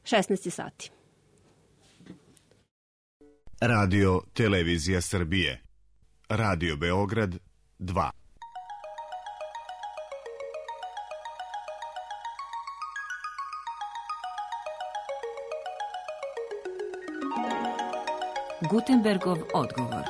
16 sati. Radio Televizija Srbije. Radio Beograd 2. Gutenbergov odgovor.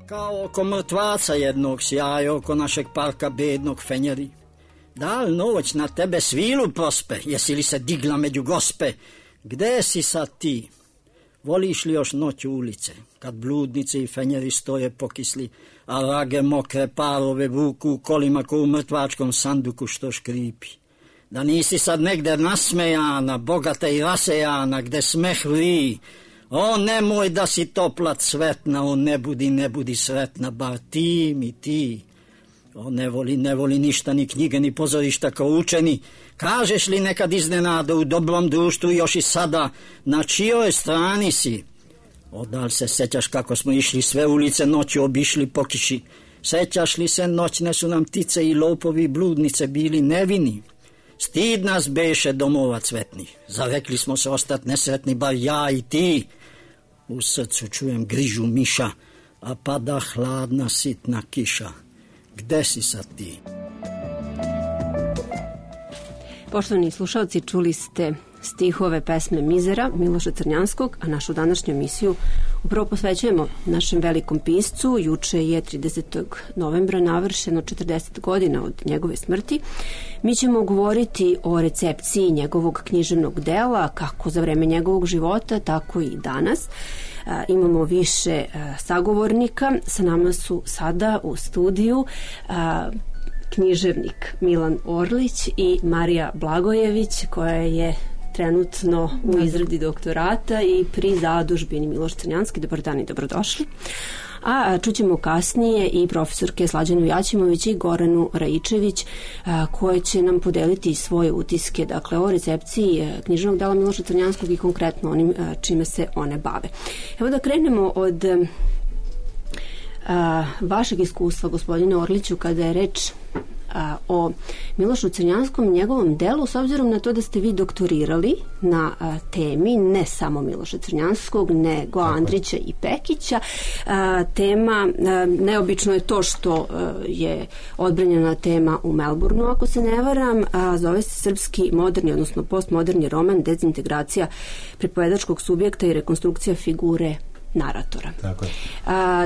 Kao oko mrtvaca jednog sjaja oko našeg parka bednog fenjeri. Da li noć na tebe svilu prospe, jesi li se digla među gospe? Gde si sad ti? Voliš li još noć u ulice, kad bludnice i fenjeri stoje pokisli, a rage mokre parove vuku u kolima ko u mrtvačkom sanduku što škripi? Da nisi sad negde nasmejana, bogata i rasejana, gde smeh vri? O, nemoj da si topla cvetna, o, ne budi sretna, bar ti mi ti. O, ne voli ništa, ni knjige, ni pozorišta kao učeni. Kažeš li nekad iznenada u dobrom društvu još i sada, na čijoj strani si? O, da li se sećaš kako smo išli sve ulice noću obišli po kiši? Sećaš li se noćne su nam ptice i lopovi i bludnice bili nevini? Stid nas beše domova cvetni, zarekli smo se ostat nesretni, bar ja i ti. U srcu čujem grižu miša, a pada hladna sitna kiša. Gde si sad ti? Poštovani slušalci, čuli ste stihove pesme Mizera Miloša Crnjanskog, a našu današnju emisiju upravo posvećujemo našem velikom piscu. Juče je 30. novembra navršeno 40 godina od njegove smrti. Mi ćemo govoriti o recepciji njegovog književnog dela, kako za vreme njegovog života, tako i danas. Imamo više sagovornika. Sa nama su sada u studiju književnik Milan Orlić i Marija Blagojević, koja je trenutno u izradi doktorata i pri zadužbini Miloš Crnjanski. Dobar dan i dobrodošli. A čućemo kasnije i profesorke Slađanu Jaćimović i Goranu Raičević, koje će nam podeliti svoje utiske, dakle, o recepciji književnog dela Miloša Crnjanskog i konkretno onim čime se one bave. Evo da krenemo od vašeg iskustva, gospodine Orliću, kada je reč o Milošu Crnjanskom i njegovom delu, s obzirom na to da ste vi doktorirali na temi ne samo Miloša Crnjanskog, nego Andrića i Pekića. Tema, neobično je to što je odbranjena tema u Melbourneu, ako se ne varam, zove se srpski moderni, odnosno postmoderni roman, dezintegracija pripovedačkog subjekta i rekonstrukcija figure naratora. Tako je.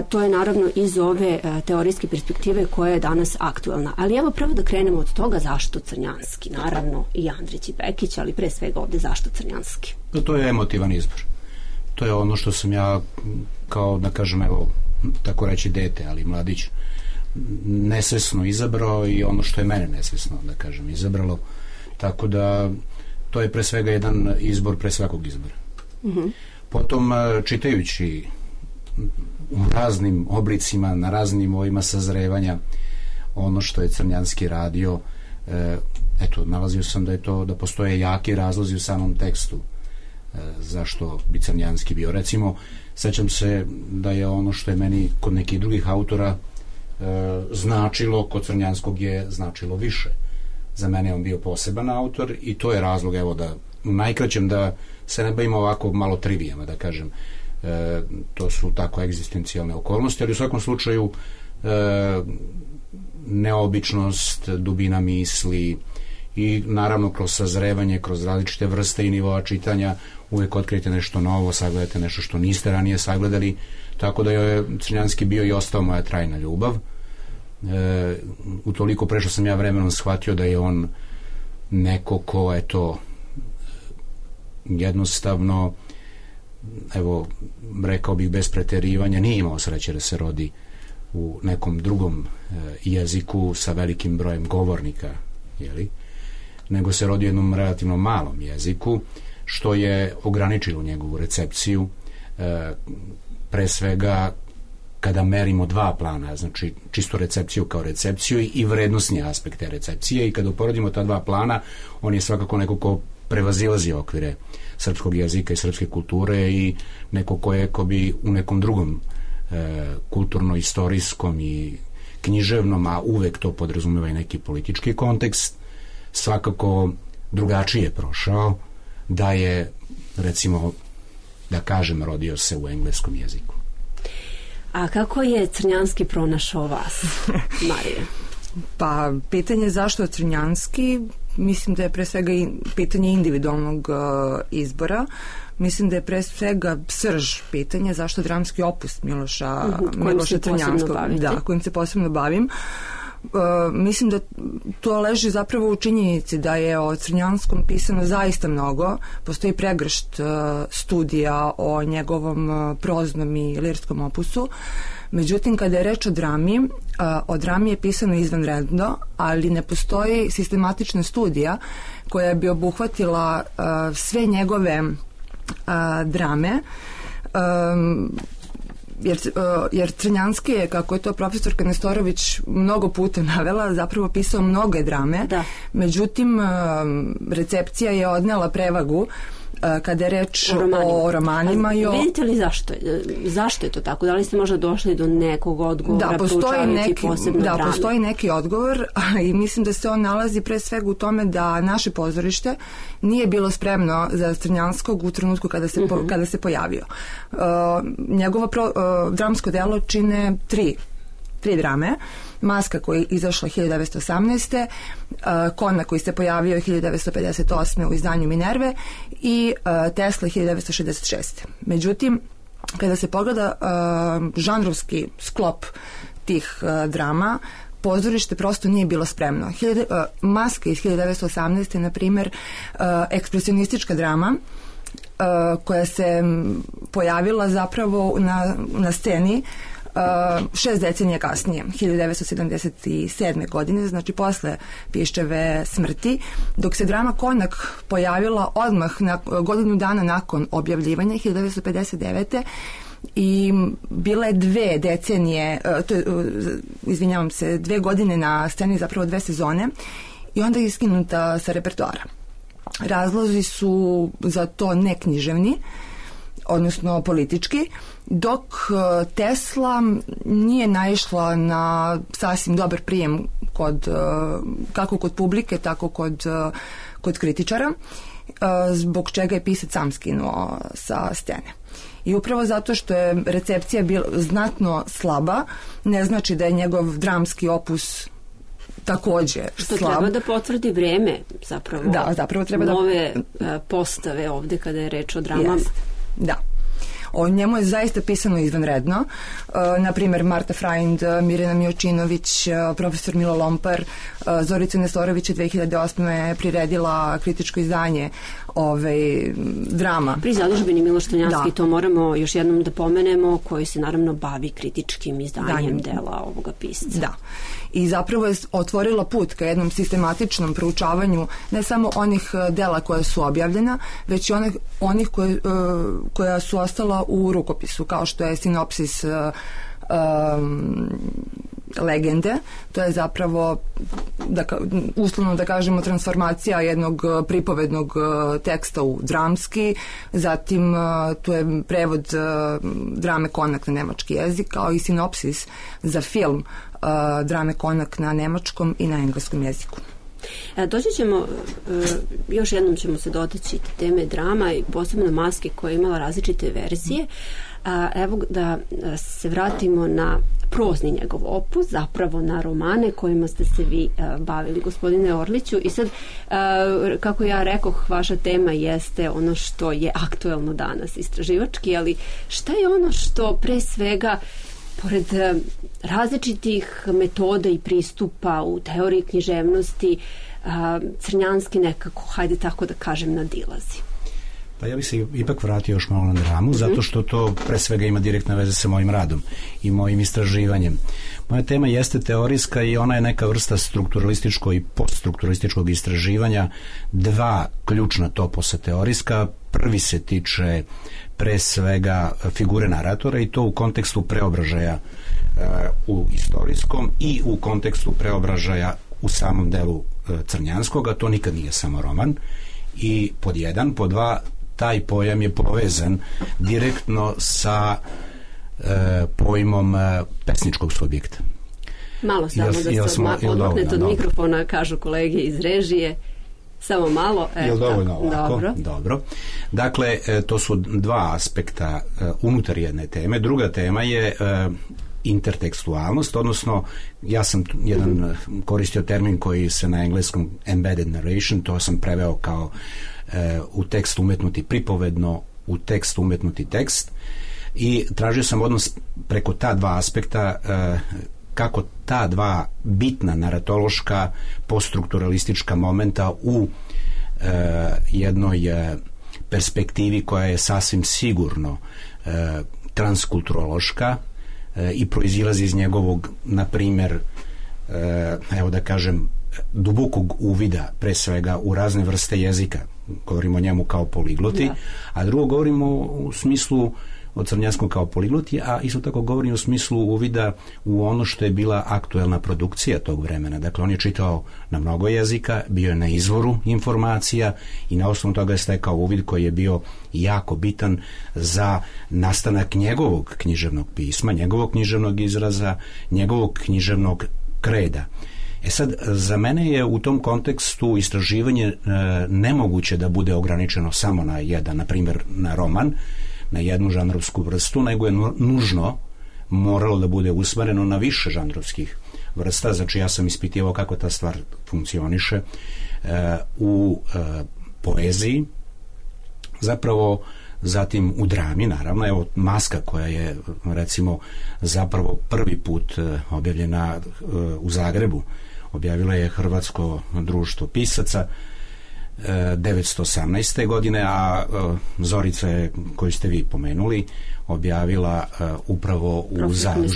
To je naravno iz ove teorijske perspektive koja je danas aktuelna. Ali evo prvo da krenemo od toga zašto Crnjanski, naravno i Andrić i Pekić, ali pre svega ovde zašto Crnjanski? To je emotivan izbor. To je ono što sam ja kao, da kažem, evo, tako reći dete, ali mladić, nesvesno izabrao i ono što je mene nesvesno, da kažem, izabralo. Tako da to je pre svega jedan izbor pre svakog izbora. Potom, čitajući u raznim oblicima, na raznim ovima sazrevanja ono što je Crnjanski radio, eto, nalazio sam da postoje jaki razlozi u samom tekstu zašto bi Crnjanski bio. Recimo, sećam se da je ono što je meni kod nekih drugih autora značilo, kod Crnjanskog je značilo više. Za mene je on bio poseban autor i to je razlog, evo, da u najkraćem da se ne bavimo ovako malo trivijama, da kažem. To su tako egzistencijalne okolnosti, ali u svakom slučaju neobičnost, dubina misli i naravno kroz sazrevanje, kroz različite vrste i nivoa čitanja uvek otkrijete nešto novo, sagledate nešto što niste ranije sagledali, tako da je Crnjanski bio i ostao moja trajna ljubav. Utoliko prešao sam ja vremenom shvatio da je on neko ko je to jednostavno, evo, rekao bih bez preterivanja, nije imao sreće da se rodi u nekom drugom jeziku sa velikim brojem govornika, jeli? Nego se rodi u jednom relativno malom jeziku, što je ograničilo njegovu recepciju, pre svega kada merimo dva plana, znači čisto recepciju kao recepciju i vrednosni aspekt te recepcije, i kada uporedimo ta dva plana, on je svakako neko ko prevazilazi okvire srpskog jezika i srpske kulture i neko ko bi u nekom drugom kulturno-istorijskom i književnom, a uvek to podrazumeva i neki politički kontekst, svakako drugačije prošao, da je, recimo, da kažem, rodio se u engleskom jeziku. A kako je Crnjanski pronašao vas, Marija? Pa, pitanje zašto Crnjanski, mislim da je pre svega pitanje individualnog izbora. Mislim da je pre svega srž pitanja zašto dramski opus Miloša Crnjanskog, kojim se posebno bavim. Mislim da to leži zapravo u činjenici da je o Crnjanskom pisano zaista mnogo. Postoji pregršt studija o njegovom proznom i lirskom opusu. Međutim, kada je reč o drami je pisano izvanredno, ali ne postoji sistematična studija koja bi obuhvatila sve njegove drame, jer Crnjanski je, kako je to profesorka Nestorović mnogo puta navela, zapravo pisao mnoge drame. Da. Međutim, recepcija je odnela prevagu kada je reč o romanima. Vidite li zašto je to tako? Da li ste možda došli do nekog odgovora proučavajući posebno drame? Da, postoji neki odgovor i mislim da se on nalazi pre svega u tome da naše pozorište nije bilo spremno za Crnjanskog u trenutku kada se pojavio. Njegovo dramsko delo čine tri drame. Maska koja je izašla 1918. Konak koji se pojavio 1958. u izdanju Minerve i Tesla 1966. Međutim, kada se pogleda žanrovski sklop tih drama, pozorište prosto nije bilo spremno. Maska iz 1918. na primjer, ekspresionistička drama koja se pojavila zapravo na sceni 6 decenija kasnije, 1977. godine, znači posle Piščeve smrti, dok se drama Konak pojavila odmah godinu dana nakon objavljivanja, 1959. i bila je 2 decenije, izvinjavam se, 2 godine na sceni, zapravo 2 sezone, i onda je iskinuta sa repertoara. Razlozi su za to neknjiževni, odnosno politički, dok Tesla nije naišla na sasvim dobar prijem kako kod publike, tako kod kritičara, zbog čega je pisac sam skinuo sa scene. I upravo zato što je recepcija bila znatno slaba, ne znači da je njegov dramski opus takođe što slab. Treba da potvrdi vreme, zapravo. Da, zapravo treba nove postave ovde kada je reč o dramama. Jest. Da. O njemu je zaista pisano izvanredno. Naprimjer, Marta Frajnd, Mirjana Mijočinović, profesor Milo Lompar, Zorica Nestorović je 2008. priredila kritičko izdanje drama. Pri zadužbini Miloš Crnjanski, to moramo još jednom da pomenemo, koji se naravno bavi kritičkim izdanjem dela ovoga pisca. Da. I zapravo je otvorila put ka jednom sistematičnom proučavanju ne samo onih dela koja su objavljena, već i onih koja su ostala u rukopisu, kao što je sinopsis legende. To je zapravo, uslovno da kažemo, transformacija jednog pripovednog teksta u dramski. Zatim tu je prevod drame Konak na nemački jezik, kao i sinopsis za film drame Konak na nemačkom i na engleskom jeziku. Doći ćemo, još jednom ćemo se dotaći teme drama i posebno Maske koja je imala različite verzije. Evo da se vratimo na prozni njegov opus, zapravo na romane kojima ste se vi bavili, gospodine Orliću. I sad, kako ja rekoh, vaša tema jeste ono što je aktuelno danas istraživački, ali šta je ono što pre svega, pored različitih metoda i pristupa u teoriji književnosti, Crnjanski nekako, hajde tako da kažem, nadilazi? Pa ja bih se ipak vratio još malo na dramu, zato što to pre svega ima direktne veze sa mojim radom i mojim istraživanjem. Moja tema jeste teorijska i ona je neka vrsta strukturalističkog i poststrukturalističkog istraživanja. 2 ključna toposa teorijska. Prvi se tiče pre svega figure naratora i to u kontekstu preobražaja u istorijskom i u kontekstu preobražaja u samom delu Crnjanskog, a to nikad nije samo roman. i pod jedan, pod dva, taj pojam je povezan direktno sa pojmom pesničkog subjekta. Malo samo da se odmaknete od mikrofona, kažu kolege iz režije. Samo malo. Je li dovoljno ovako? Dobro. Dakle, to su dva aspekta unutar jedne teme. Druga tema je intertekstualnost, odnosno ja sam koristio termin koji se na engleskom embedded narration, to sam preveo kao u tekst umetnuti pripovedno, u tekst umetnuti tekst, i tražio sam odnos preko ta dva aspekta, kako ta dva bitna naratološka poststrukturalistička momenta u jednoj perspektivi koja je sasvim sigurno transkulturološka i proizilazi iz njegovog, na primjer, evo da kažem, dubokog uvida pre svega u razne vrste jezika, govorimo o njemu kao poligloti, a drugo govorimo u smislu o Crnjanskom kao poligloti, a isto tako govorim u smislu uvida u ono što je bila aktuelna produkcija tog vremena. Dakle, on je čitao na mnogo jezika, bio je na izvoru informacija i na osnovu toga je stekao uvid koji je bio jako bitan za nastanak njegovog književnog pisma, njegovog književnog izraza, njegovog književnog kreda. Sad, za mene je u tom kontekstu istraživanje nemoguće da bude ograničeno samo na jedan, na primjer, na roman, na jednu žanrovsku vrstu, nego je nužno moralo da bude usmereno na više žanrovskih vrsta. Znači, ja sam ispitivao kako ta stvar funkcioniše u poeziji, zapravo zatim u drami, naravno. Evo, Maska, koja je, recimo, zapravo prvi put objavljena u Zagrebu, objavila je Hrvatsko društvo pisaca 1918. godine, a Zorica je, koju ste vi pomenuli, objavila upravo u Zagrebu.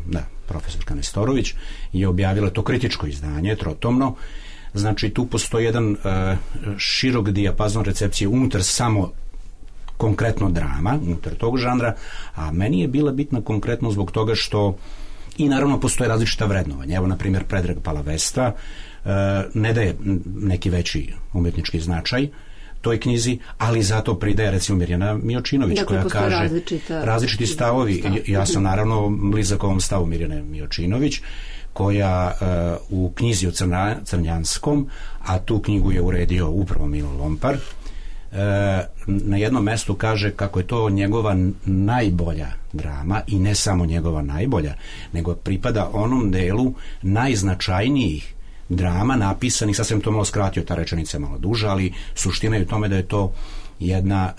Da, profesorka Nestorović je objavila to kritičko izdanje, trotomno. Znači, tu postoji jedan širok dijapazon recepcije unutar samo konkretno drama, unutar tog žanra, a meni je bila bitna konkretno zbog toga što i naravno postoje različita vrednovanja. Evo, na primjer, Predrag Palavesta ne daje neki veći umjetnički značaj toj knjizi, ali zato pridaje, recimo, Mirjana Miočinović, dakle, koja kaže različiti stavovi. Ja sam naravno blizak ovom stavu Mirjane Miočinović, koja u knjizi o Crnjanskom, a tu knjigu je uredio upravo Milo Lompar, na jednom mestu kaže kako je to njegova najbolja drama, i ne samo njegova najbolja, nego pripada onom delu najznačajnijih drama napisanih, sad sam to malo skratio, ta rečenica je malo duža, ali suština je u tome da je to jedna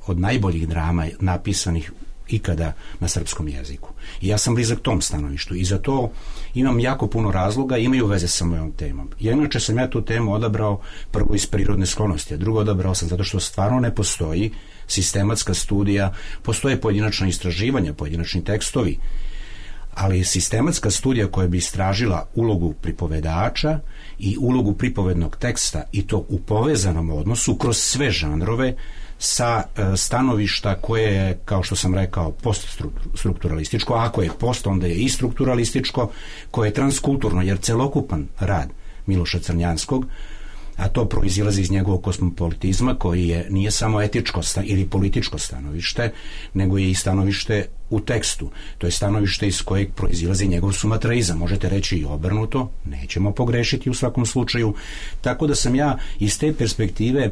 od najboljih drama napisanih ikada na srpskom jeziku. I ja sam blizak tom stanovištu i za to imam jako puno razloga, imaju veze sa mojom temom. Inače sam ja tu temu odabrao prvo iz prirodne sklonosti, a drugo odabrao sam zato što stvarno ne postoji sistematska studija, postoje pojedinačna istraživanja, pojedinačni tekstovi, ali sistematska studija koja bi istražila ulogu pripovedača i ulogu pripovednog teksta, i to u povezanom odnosu kroz sve žanrove, sa stanovišta koje je, kao što sam rekao, poststrukturalističko, a ako je post, onda je i strukturalističko, koje je transkulturno, jer celokupan rad Miloša Crnjanskog, a to proizilazi iz njegovog kosmopolitizma, koji nije samo etičko ili političko stanovište, nego je i stanovište u tekstu. To je stanovište iz kojeg proizilazi njegov sumatraizam. Možete reći i obrnuto, nećemo pogrešiti u svakom slučaju. Tako da sam ja iz te perspektive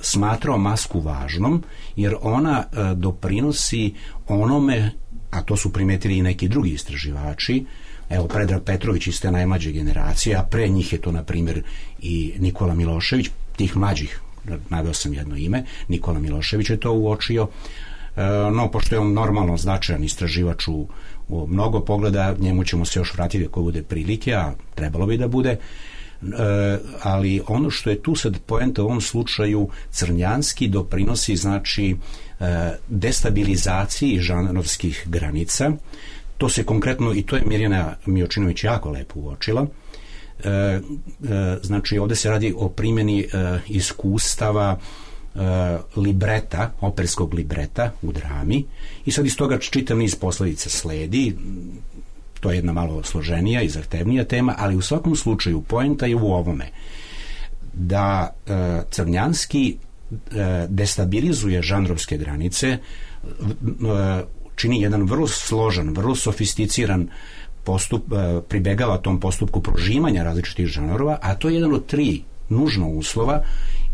smatrao Masku važnom, jer ona doprinosi onome, a to su primetili i neki drugi istraživači. Evo, Predrag Petrović iz te najmlađe generacije, a pre njih je to, na primjer, i Nikola Milošević, tih mlađih, naveo sam jedno ime, Nikola Milošević je to uočio, no, pošto je on normalno značajan istraživač u mnogo pogleda, njemu ćemo se još vratiti ako bude prilike, a trebalo bi da bude, ali ono što je tu sad poenta u ovom slučaju, Crnjanski doprinosi, znači, destabilizaciji žanrovskih granica. To se konkretno, i to je Mirjana Miočinović jako lepo uočila, znači ovdje se radi o primjeni iskustava libreta, operskog libreta u drami, i sad iz toga čitav niz posledica sledi. To je jedna malo složenija i zahtevnija tema, ali u svakom slučaju poenta je u ovome. da Crnjanski destabilizuje žanrovske granice, čini jedan vrlo složen, vrlo sofisticiran pribegava tom postupku prožimanja različitih žanrova, a to je jedan od 3 nužno uslova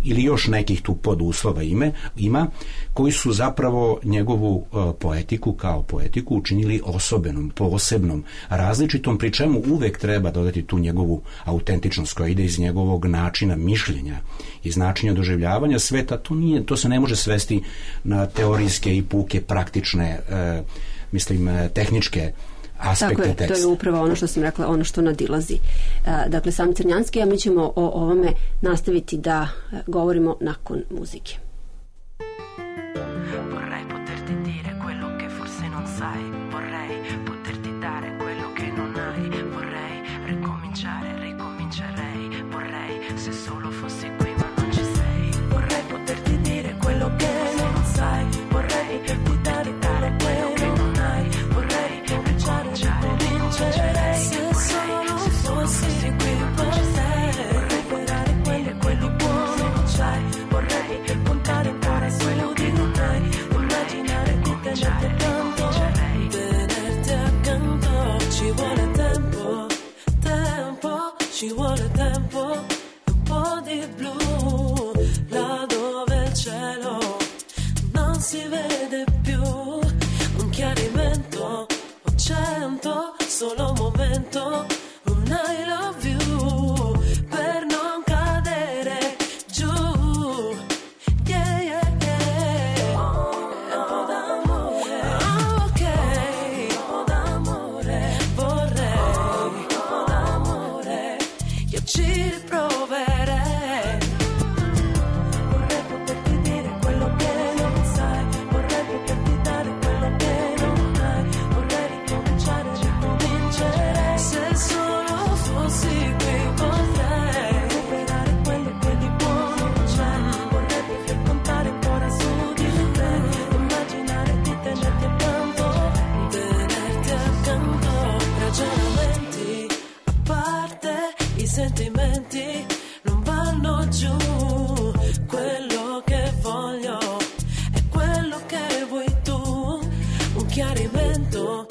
ili još nekih tu poduslova ima, koji su zapravo njegovu poetiku kao poetiku učinili osobenom, posebnom, različitom, pri čemu uvek treba dodati tu njegovu autentičnost koja ide iz njegovog načina mišljenja, iz načina doživljavanja sveta. To se ne može svesti na teorijske i puke praktične, tehničke aspekte teksta. To je upravo ono što sam rekla, ono što nadilazi. Dakle, sam Crnjanski, a mi ćemo o ovome nastaviti da govorimo nakon muzike. Vorrei poterti dire quello che forse non sai, vorrei poterti dare quello che non hai, vorrei ricomincerei, vorrei se solo fossi qui ma non ci sei, vorrei poterti dire quello che non sai, vorrei poterti dare quello che non hai, vorrei ricomincerei, se solo fossi qui con te, vorrei dare quello buono non c'hai, vorrei puntare quello di non hai, immaginare di tenerti accanto, ci vuole tempo, ci vuole tempo, un po' di blu, là dove il cielo non si vede più, un chiarimento, 100, solo un momento, un I love you, per non cadere giù, yeah, yeah, yeah. Un po' d'amore, ok, un po' d'amore, vorrei, un po' d'amore, io ci riproverei, vorrei poterti dire quello che non sai, vorrei poterti dare quello che non hai, vorrei ricomincerei, se solo fossi qui potrei recuperare quello che di buono c'è, vorrei contare ancora su di te, immaginare di tenerti accanto, ragionamenti a parte, i sentimenti non vanno giù, quello che voglio è quello che vuoi tu, un chiarimento,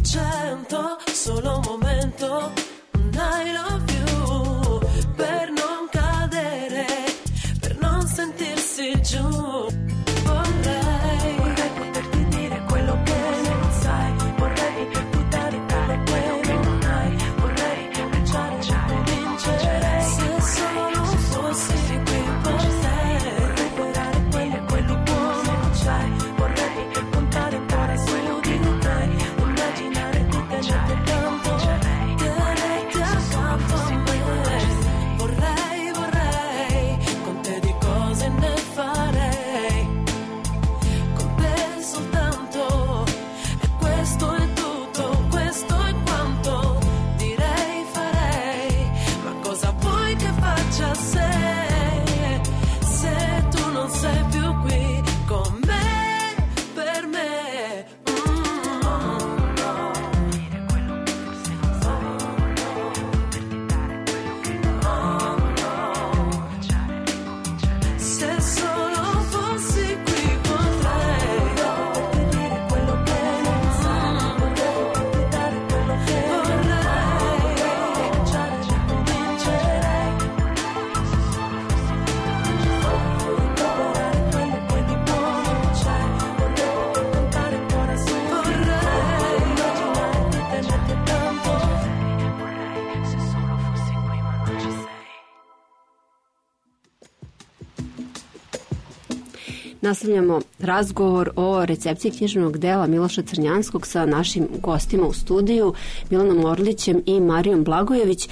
100, solo un momento, un I love you, per non cadere, per non sentirsi giù, vorrei poterti dire quello che non sai, vorrei buttare quello che non hai, vorrei ricomincerei, se solo fossi qui con te, vorrei quello buono non c'hai, vorrei contare quello che non hai, immaginare di tenerti accanto, tenerti accanto a me, vorrei, con te di cose ne farei, con te soltanto, e questo è tutto, questo è quanto direi, farei, ma cosa vuoi che faccia se tu non sei più qui con me, per me, dire quello che forse non sai, poterti dare quello che non hai, se solo fossi qui potrei dire quello che non sai, poterti dare quello che vorrei, ricomincerei, recuperare quello che di buono c'è, vorrei contare ancora su, vorrei immaginare di tenerti accanto, vorrei se solo fossi qui ma non ci sei. Nastavljamo razgovor o recepciji književnog dela Miloša Crnjanskog sa našim gostima u studiju, Milanom Orlićem i Marijom Blagojević.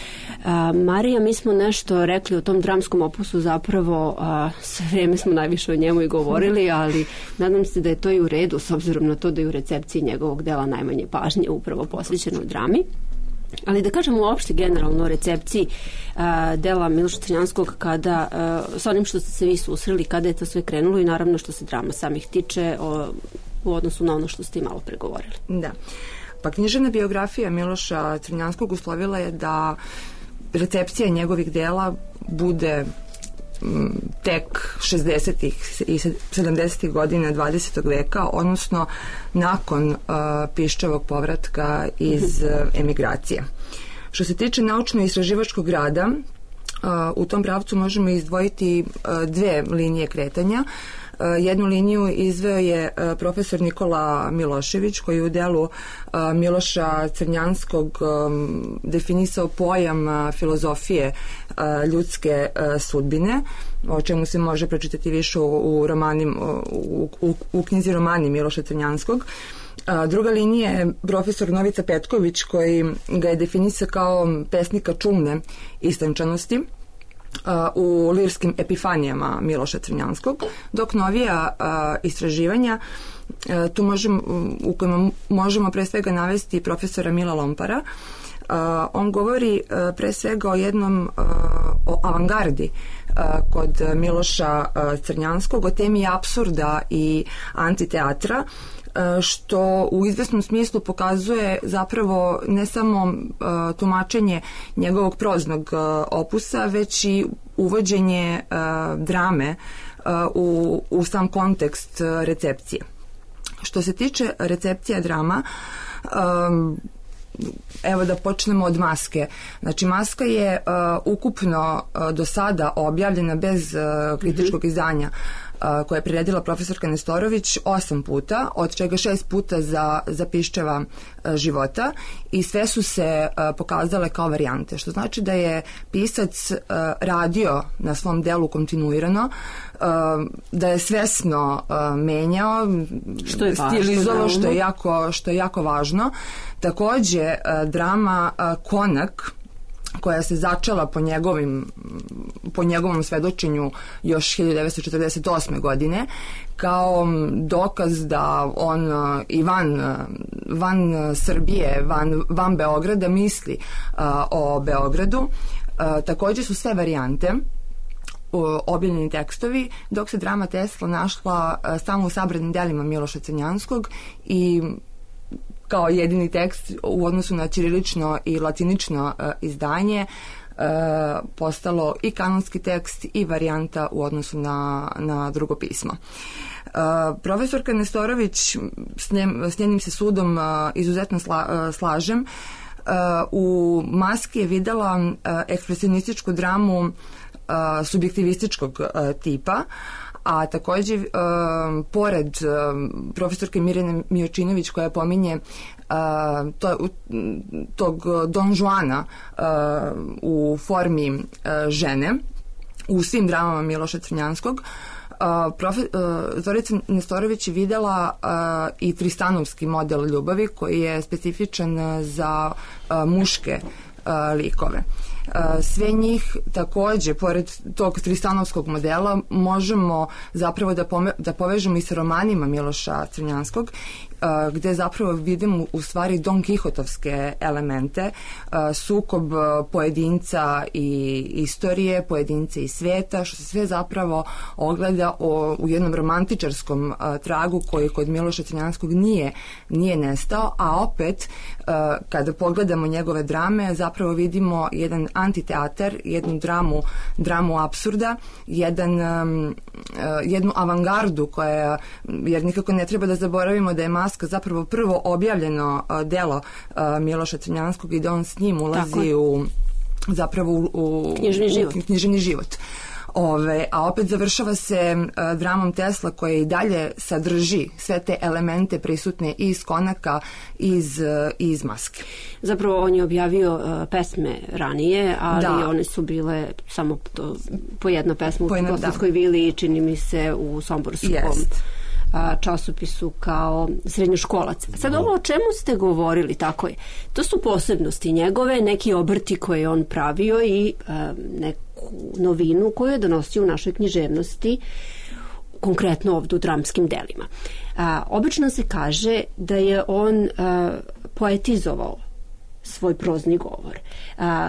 Marija, mi smo nešto rekli o tom dramskom opusu, zapravo sve vreme smo najviše o njemu i govorili, ali nadam se da je to i u redu, s obzirom na to da je u recepciji njegovog dela najmanje pažnje upravo posvećeno drami. Ali da kažemo uopšte generalno o recepciji dela Miloša Crnjanskog kada, sa onim što ste se vi susreli, kada je to sve krenulo i naravno što se drama samih tiče u odnosu na ono što ste i malo pregovorili. Da. Pa književna biografija Miloša Crnjanskog uslovila je da recepcija njegovih dela bude tek 60. i 70. godina 20. veka, odnosno nakon Piščevog povratka iz emigracije. Što se tiče naučno-istraživačkog rada, u tom pravcu možemo izdvojiti dve linije kretanja. Jednu liniju izveo je profesor Nikola Milošević, koji u delu Miloša Crnjanskog definisao pojam filozofije ljudske sudbine, o čemu se može pročitati više u knjizi Romani Miloša Crnjanskog. Druga linija je profesor Novica Petković, koji ga je definisao kao pesnika čulne istančanosti u lirskim epifanijama Miloša Crnjanskog, dok novija istraživanja u kojima možemo pre svega navesti profesora Mila Lompara. On govori pre svega o avangardi kod Miloša Crnjanskog, o temi apsurda i antiteatra, što u izvesnom smislu pokazuje zapravo ne samo tumačenje njegovog proznog opusa, već i uvođenje drame u sam kontekst recepcije. Što se tiče recepcija drama, evo da počnemo od Maske. Znači, Maska je ukupno do sada objavljena bez kritičkog izdanja, koje je priredila profesorka Nestorović 8 puta, od čega 6 puta za Piščeva života, i sve su se pokazale kao varijante, što znači da je pisac radio na svom delu kontinuirano, da je svesno menjao, stilizovao, što je jako važno. Takođe, drama Konak, koja se začela po njegovom svedočenju još 1948. godine, kao dokaz da on i van Srbije, van Beograda misli o Beogradu. Takođe su sve varijante objavljeni tekstovi, dok se drama Tesla našla samo u sabranim delima Miloša Crnjanskog i kao jedini tekst u odnosu na ćirilično i latinično izdanje postalo i kanonski tekst i varijanta u odnosu na drugo pismo. Profesorka Nestorović, s njenim se sudom izuzetno slažem, u Maski je videla ekspresionističku dramu subjektivističkog tipa, a takođe pored profesorke Mirjane Mijočinović, koja pominje tog Don Juana u formi žene u svim dramama Miloša Crnjanskog, Zorica Nestorović je videla i tristanovski model ljubavi, koji je specifičan za muške likove. Sve njih takođe, pored tog tristanovskog modela, možemo zapravo da povežemo i sa romanima Miloša Crnjanskog, gde zapravo vidimo u stvari Don Kihotovske elemente, sukob pojedinca i istorije, pojedinca i sveta, što se sve zapravo ogleda u jednom romantičarskom tragu koji kod Miloša Crnjanskog nije nestao, a opet kada pogledamo njegove drame zapravo vidimo jedan antiteatar, jednu dramu apsurda, jednu avangardu koja, jer nikako ne treba da zaboravimo da je Maska zapravo prvo objavljeno delo Miloša Crnjanskog i da on s njim ulazi u književni život. A opet završava se dramom Tesla, koja i dalje sadrži sve te elemente prisutne iz Konaka i iz Maske. Zapravo on je objavio pesme ranije, ali one su bile samo po jedna pesma u Bosanskoj vili i čini mi se u somborskom časopisu kao srednjoškolac. Sad ovo o čemu ste govorili, tako je. To su posebnosti njegove, neki obrti koje je on pravio i neku novinu koju je donosio u našoj književnosti, konkretno ovdje u dramskim delima. Obično se kaže da je on poetizovao svoj prozni govor.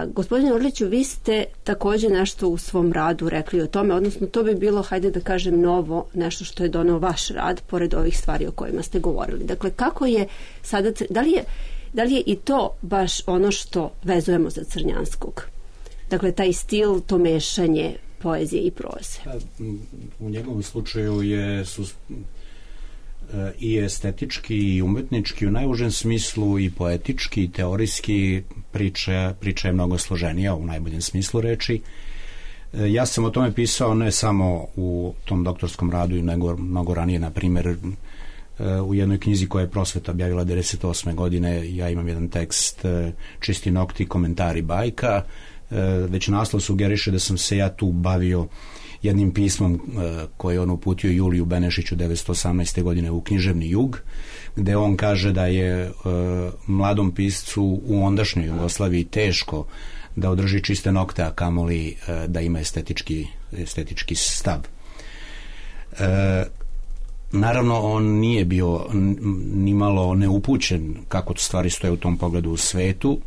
Gospodine Orliću, vi ste takođe nešto u svom radu rekli o tome, odnosno to bi bilo, hajde da kažem, novo, nešto što je doneo vaš rad, pored ovih stvari o kojima ste govorili. Dakle, kako je sada, da li je i to baš ono što vezujemo za Crnjanskog? Dakle, taj stil, to mešanje poezije i proze? U njegovom slučaju su i estetički i umetnički u najužem smislu i poetički i teorijski priča je mnogo složenija u najboljem smislu reči. Ja sam o tome pisao ne samo u tom doktorskom radu, nego mnogo ranije, na primjer u jednoj knjizi koja je Prosveta objavila 1998. godine. Ja imam jedan tekst Čisti nokti, komentari bajka. Već naslov sugeriše da sam se ja tu bavio jednim pismom koje on uputio Juliju Benešiću 1918. godine u Književni jug, gde on kaže da je mladom piscu u ondašnjoj Jugoslaviji teško da održi čiste nokte, a kamoli da ima estetički stav. Naravno, on nije bio nimalo neupućen kako stvari stoje u tom pogledu u svetu.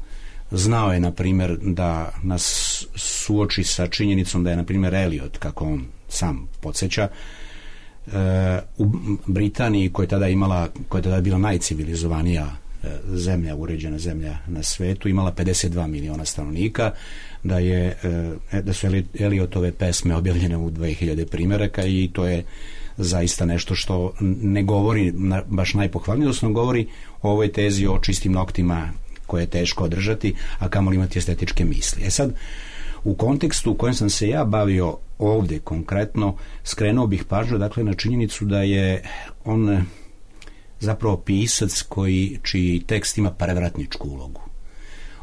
Znao je, na primjer, da nas suoči sa činjenicom da je, na primjer, Eliot, kako on sam podsjeća, u Britaniji, koja je tada bila najcivilizovanija zemlja, uređena zemlja na svetu, imala 52 miliona stanovnika, da su Eliotove pesme objavljene u 2000 primjeraka i to je zaista nešto što ne govori baš najpohvalnije, odnosno govori o ovoj tezi o čistim noktima koje je teško održati, a kamoli imati estetičke misli. Sad, u kontekstu u kojem sam se ja bavio ovdje konkretno, skrenuo bih pažnju dakle na činjenicu da je on zapravo pisac čiji tekst ima prevratničku ulogu.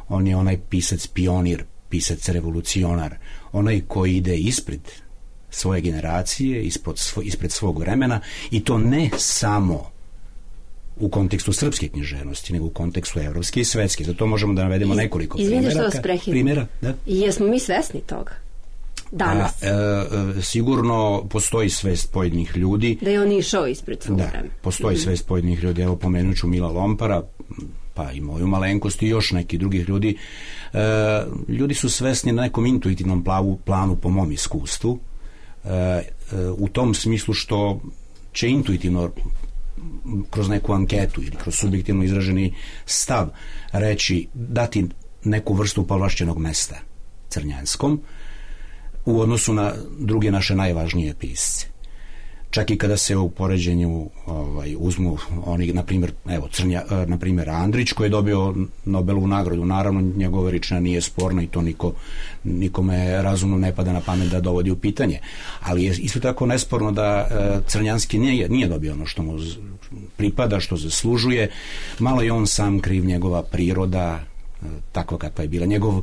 On je onaj pisac pionir, pisac revolucionar, onaj koji ide ispred svoje generacije, ispred svog vremena, i to ne samo u kontekstu srpske književnosti, nego u kontekstu evropske i svetske. Zato možemo da navedemo nekoliko primjera. Da? Jesmo mi svesni toga danas? Sigurno postoji svest pojedinih ljudi. Da je on išao ispred svog vremena. Postoji svest pojedinih ljudi. Evo, pomenut ću Mila Lompara, pa i moju malenkost i još nekih drugih ljudi. Ljudi su svesni na nekom intuitivnom planu, po mom iskustvu, u tom smislu što će intuitivno kroz neku anketu ili kroz subjektivno izraženi stav dati neku vrstu povlašćenog mesta Crnjanskom u odnosu na druge naše najvažnije pisce. Čak i kada se u poređenju uzmu oni, na primjer Andrić, koji je dobio Nobelovu nagradu. Naravno, njegova veličina nije sporna i to nikome razumno ne pada na pamet da dovodi u pitanje. Ali je isto tako nesporno da Crnjanski nije dobio ono što mu pripada, što zaslužuje. Malo je on sam kriv, njegova priroda takva kakva je bila. Njegov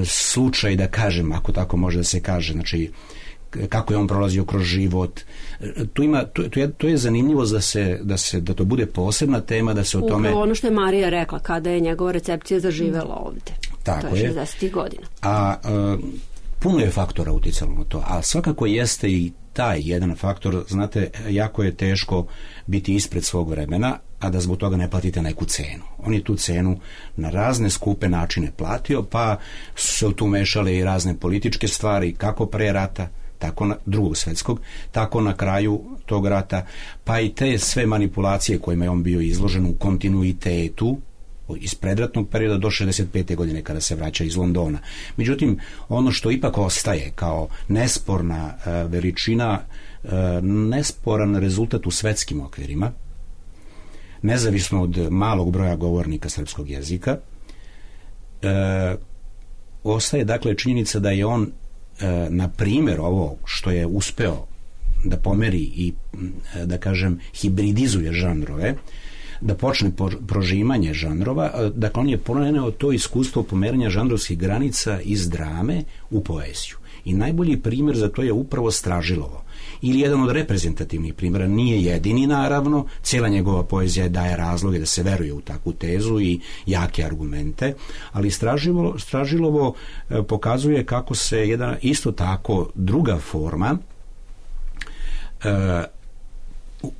slučaj, da kažem, ako tako može da se kaže, znači kako je on prolazio kroz život. To je zanimljivo da to bude posebna tema, da se o tome... Upravo ono što je Marija rekla, kada je njegova recepcija zaživela ovde. Tako to je 60. godina. A puno je faktora uticalo na to, a svakako jeste i taj jedan faktor. Znate, jako je teško biti ispred svog vremena, a da zbog toga ne platite neku cenu. On je tu cenu na razne skupe načine platio, pa su se tu mešale i razne političke stvari, kako pre rata, tako drugog svjetskog, tako na kraju tog rata, pa i te sve manipulacije kojima je on bio izložen u kontinuitetu iz predratnog perioda do 65. godine kada se vraća iz Londona. Međutim, ono što ipak ostaje kao nesporna veličina, nesporan rezultat u svetskim okvirima, nezavisno od malog broja govornika srpskog jezika, ostaje dakle činjenica da je on na primjer ovo što je uspeo da pomeri i da kažem hibridizuje žanrove, da počne prožimanje žanrova, dakle on je poneo to iskustvo pomeranja žanrovskih granica iz drame u poeziju. I najbolji primjer za to je upravo Stražilovo. Ili jedan od reprezentativnih primjera, nije jedini naravno, cijela njegova poezija daje razloge da se veruje u takvu tezu i jake argumente, ali Stražilovo pokazuje kako se jedna isto tako druga forma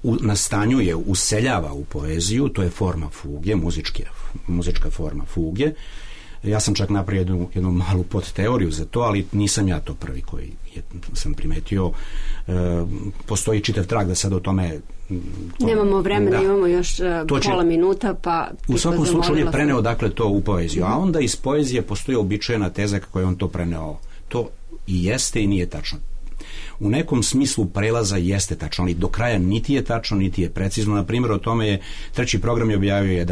nastanjuje, useljava u poeziju, to je forma fuge, muzička forma fuge. Ja sam čak napravio jednu malu podteoriju za to, ali nisam ja to prvi koji sam primetio. Postoji čitav trag da sad o tome... Nemamo vremena, imamo još pola minuta, pa... U svakom slučaju je preneo dakle to u poeziju, a onda iz poezije postoji običajna teza kako je on to preneo. To I jeste i nije tačno. U nekom smislu prelaza jeste tačno, ali do kraja niti je tačno, niti je precizno. Na primjer, o tome je Treći program je objavio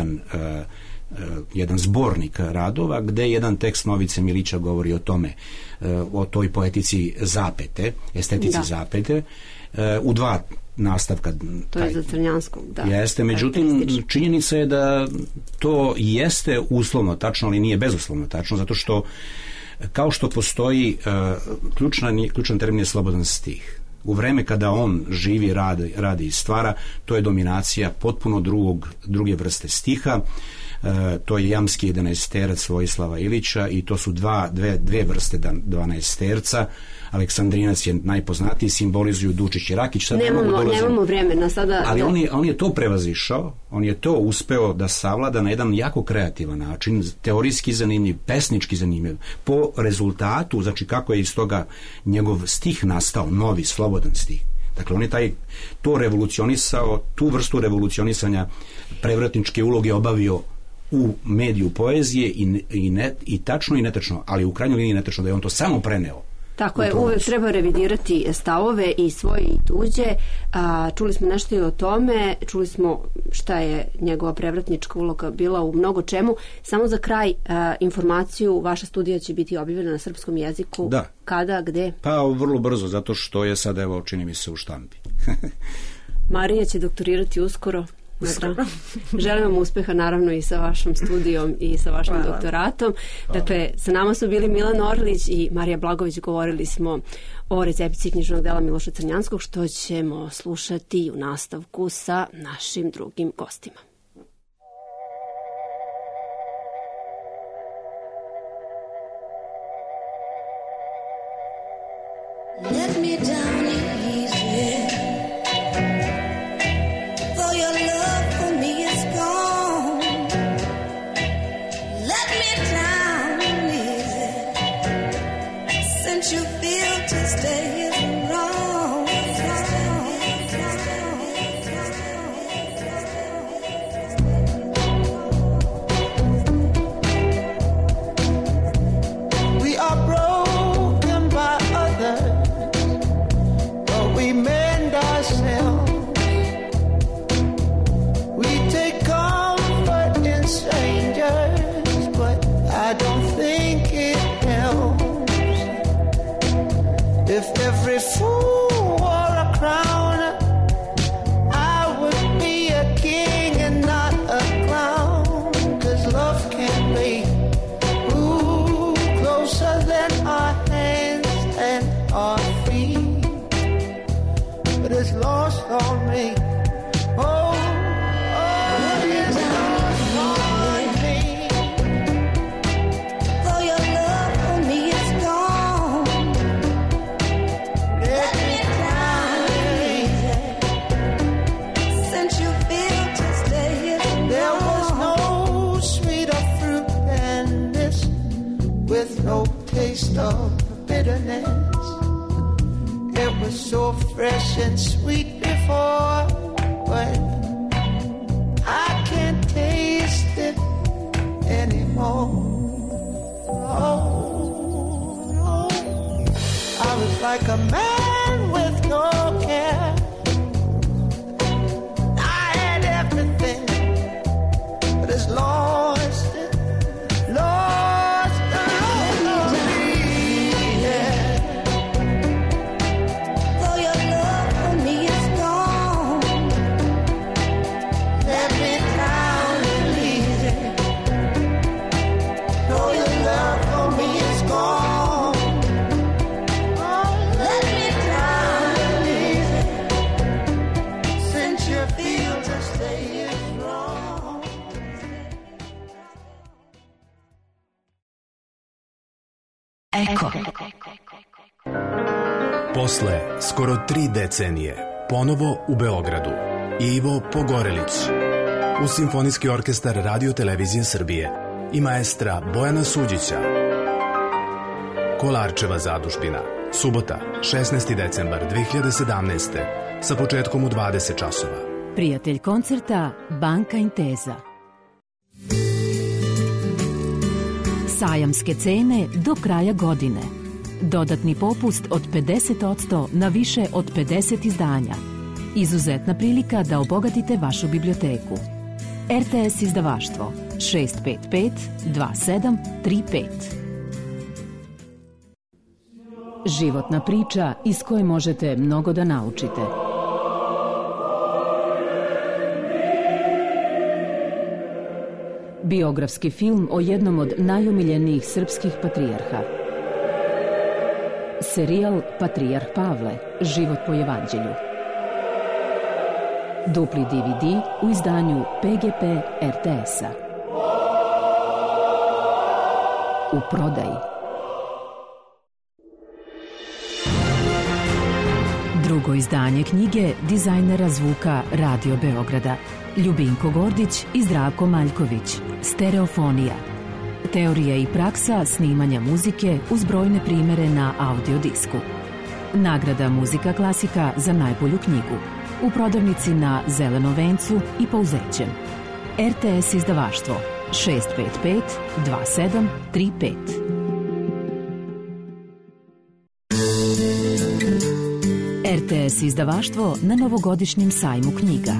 jedan zbornik radova, gde jedan tekst Novice Milića govori o tome, o toj poetici zapete, estetici zapete, u dva nastavka. To je za Crnjanskog, da. Jeste, međutim, činjenica je da to jeste uslovno tačno, ali nije bezuslovno tačno, zato što kao što postoji ključan termin je slobodan stih. U vreme kada on živi, radi i stvara, to je dominacija potpuno druge vrste stiha. To je jamski 11-terac Vojislava Ilića i to su dve vrste 12-terca. Aleksandrinac je najpoznatiji, simbolizuju Dučić i Rakić. Nemamo vremena sada. Ali on je to prevazišao, on je to uspeo da savlada na jedan jako kreativan način, teorijski zanimljiv, pesnički zanimljiv, po rezultatu, znači kako je iz toga njegov stih nastao, novi, slobodan stih. Dakle, on je to revolucionisao, tu vrstu revolucionisanja prevratničke uloge obavio u mediju poezije i tačno i netačno, ali u krajnjoj liniji netačno da je on to samo preneo. Tako je, uvek treba revidirati stavove i svoje i tuđe. Čuli smo nešto i o tome, čuli smo šta je njegova prevratnička uloga bila u mnogo čemu. Samo za kraj informaciju, vaša studija će biti objavljena na srpskom jeziku. Da. Kada, gde? Pa vrlo brzo, zato što je sad, evo, čini mi se u štampi. Marija će doktorirati uskoro. Želim vam uspeha naravno i sa vašom studijom i sa vašim doktoratom. Dakle, sa nama su bili Milan Orlić i Marija Blagović. Govorili smo o recepciji književnog dela Miloša Crnjanskog, što ćemo slušati u nastavku sa našim drugim gostima. Let me down easy. You feel to stay is wrong. We are broken by others, but we mend ourselves. We take comfort in strangers, but I don't think it helps. If every fool wore a crown, I would be a king and not a clown. 'Cause love can be closer than our hands and our feet, but it's lost on me. No taste of bitterness. It was so fresh and sweet before, but I can't taste it anymore. Oh, no. I was like a man with no care. I had everything, but it's lost it. Eko. Posle skoro 3 decenije, ponovo u Beogradu, Ivo Pogorelić, uz Simfonijski orkestar Radio Televizije Srbije i maestra Bojana Suđića. Kolarčeva zadužbina, subota, 16. decembar 2017. sa početkom u 20 časova. Prijatelj koncerta Banka Intesa. Sajamske cene do kraja godine. Dodatni popust od 50% na više od 50 izdanja. Izuzetna prilika da obogatite vašu biblioteku. RTS izdavaštvo 655 2735. Životna priča iz koje možete mnogo da naučite. Biografski film o jednom od najomiljenijih srpskih patrijarha. Serijal Patrijarh Pavle, život po evanđelju. Dupli DVD u izdanju PGP RTS-a. U prodaji. Drugo izdanje knjige dizajnera zvuka Radio Beograda Ljubinko Gordić i Zdravko Maljković. Stereofonija. Teorija i praksa snimanja muzike uz brojne primere na audio disku. Nagrada Muzika klasika za najbolju knjigu. U prodavnici na Zelenom vencu i Pouzećem. RTS izdavaštvo 655 2735. RTS izdavaštvo na novogodišnjem sajmu knjiga.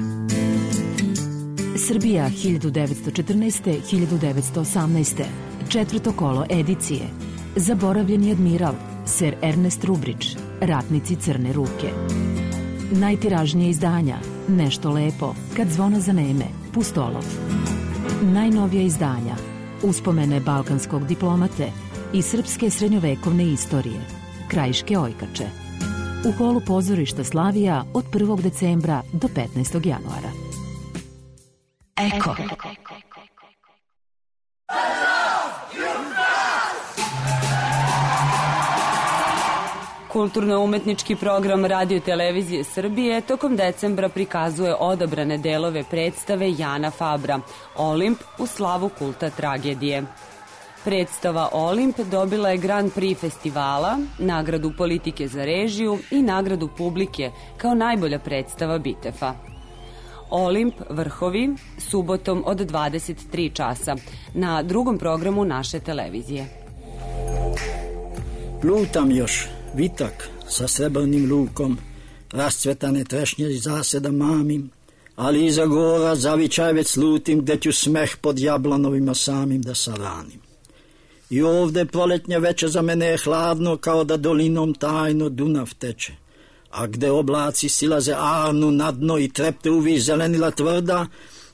Srbija 1914-1918. Četvrto kolo edicije. Zaboravljeni admiral, Sir Ernest Rubridge, Ratnici crne ruke. Najtiražnije izdanja, Nešto lepo, Kad zvona zaneme, Pustolov. Najnovija izdanja, Uspomene balkanskog diplomate i srpske srednjovekovne istorije, Krajiške ojkače. U holu pozorišta Slavija od 1. decembra do 15. januara. Eko. Kulturno-umetnički program Radio Televizije Srbije tokom decembra prikazuje odabrane delove predstave Jana Fabra Olimp u slavu kulta tragedije. Predstava Olimp dobila je Grand Prix festivala, nagradu politike za režiju i nagradu publike kao najbolja predstava Bitefa. Olimp Vrhovi subotom od 23 časa na drugom programu naše televizije. Lutam još, vitak sa srebrnim lukom, rascvetane trešnje iz zaseda mamim, ali iza gora zavičaj već slutim, gde ću smeh pod jablanovima samim da saranim. I ovde proletnje veče za mene je hladno, kao da dolinom tajno Dunav teče, a gde oblaci silaze Arnu na dno i trepte uvi zelenila tvrda,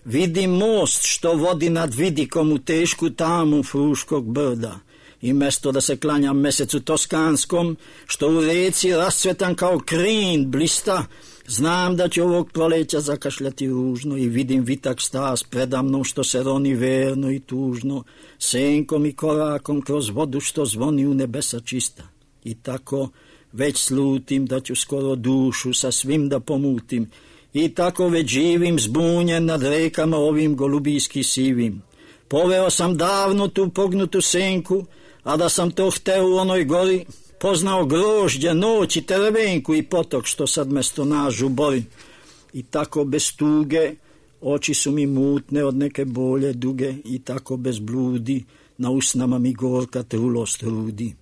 vidim most što vodi nad vidikom u tešku tamu Fruškog brda. I mesto da se klanjam mesecu toskanskom, što u reci rascvetan kao krin blista, znam da će ovog proleća zakašljati ružno i vidim vitak stas predamnom što se roni verno i tužno, senkom i korakom kroz vodu što zvoni u nebesa čista. I tako već slutim da ću skoro dušu sa svim da pomutim, i tako već živim zbunjen nad rekama ovim golubijski sivim. Poveo sam davno tu pognutu senku, a da sam to hteo u onoj gori, poznao grožđe, noć i terevenku i potok što sad mesto nažu bori. I tako bez tuge, oči su mi mutne od neke bolje duge, i tako bez bludi, na usnama mi gorka trulost rudi.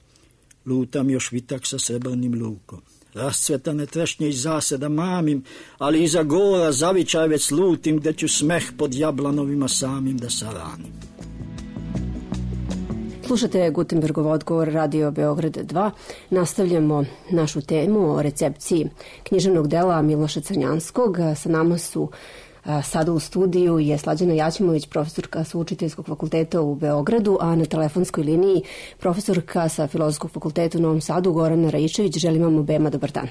Lutam još vitak sa srebrnim lukom, rascvetane trešnje iz zaseda mamim, ali iza gora zavičaj već slutim, gde ću smeh pod jablanovima samim da saranim. Slušate Gutenbergov odgovor Radio Beograd 2. Nastavljamo našu temu o recepciji književnog dela Miloša Crnjanskog. Sa nama su sada u studiju je Slađana Jaćimović, profesorka sa Učiteljskog fakulteta u Beogradu, a na telefonskoj liniji profesorka sa Filozofskog fakulteta u Novom Sadu, Gorana Raičević. Želim vam obema dobar dan.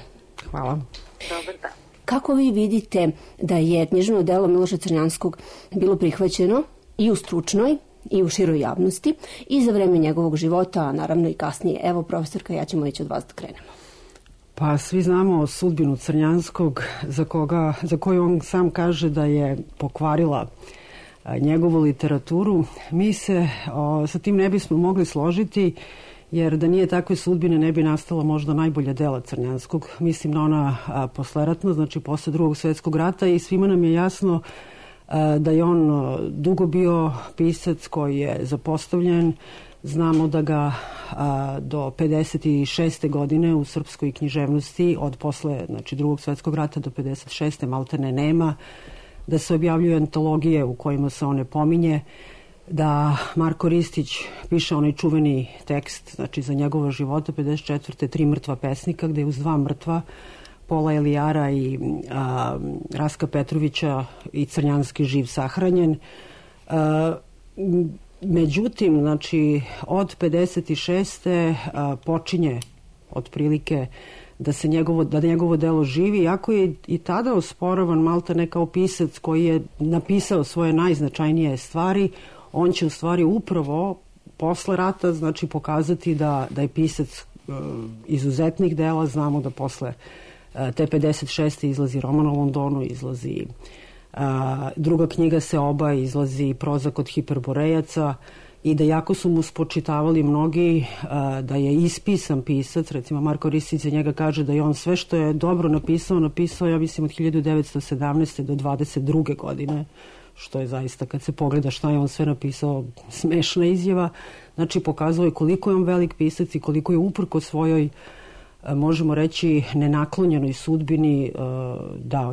Hvala. Dobar dan. Kako vi vidite da je književno delo Miloša Crnjanskog bilo prihvaćeno i u stručnoj i u široj javnosti i za vreme njegovog života, a naravno i kasnije? Evo, profesorka Jaćimović, od vas da krenemo. Pa svi znamo sudbinu Crnjanskog, za koju on sam kaže da je pokvarila njegovu literaturu. Mi se sa tim ne bismo mogli složiti, jer da nije takve sudbine ne bi nastala možda najbolja dela Crnjanskog. Mislim na ona posleratna, znači posle Drugog svjetskog rata, i svima nam je jasno da je on dugo bio pisac koji je zapostavljen, Znamo da ga do 56. godine u srpskoj književnosti od posle drugog svjetskog rata do 56. maltene nema, da se objavljuju antologije u kojima se on ne pominje, da Marko Ristić piše onaj čuveni tekst za njegova života 54. 3 mrtva pesnika, gde je uz 2 mrtva Pola Elijara i Raska Petrovića i Crnjanski živ sahranjen. Međutim, od 56. počinje otprilike da njegovo delo živi, iako je i tada osporavan maltene kao pisac koji je napisao svoje najznačajnije stvari. On će u stvari upravo posle rata pokazati da je pisac izuzetnih dela. Znamo da posle te 56. izlazi Roman o Londonu, izlazi druga knjiga Seoba, izlazi Proza kod hiperborejaca, i da jako su mu spočitavali mnogi da je ispisan pisac. Recimo Marko Ristić za njega kaže da je on sve što je dobro napisao, ja mislim, od 1917. do 22. godine, što je zaista, kad se pogleda šta je on sve napisao, smešna izjava. Pokazuje je koliko je on velik pisac i koliko je uprko svojoj, možemo reći, nenaklonjenoj sudbini dao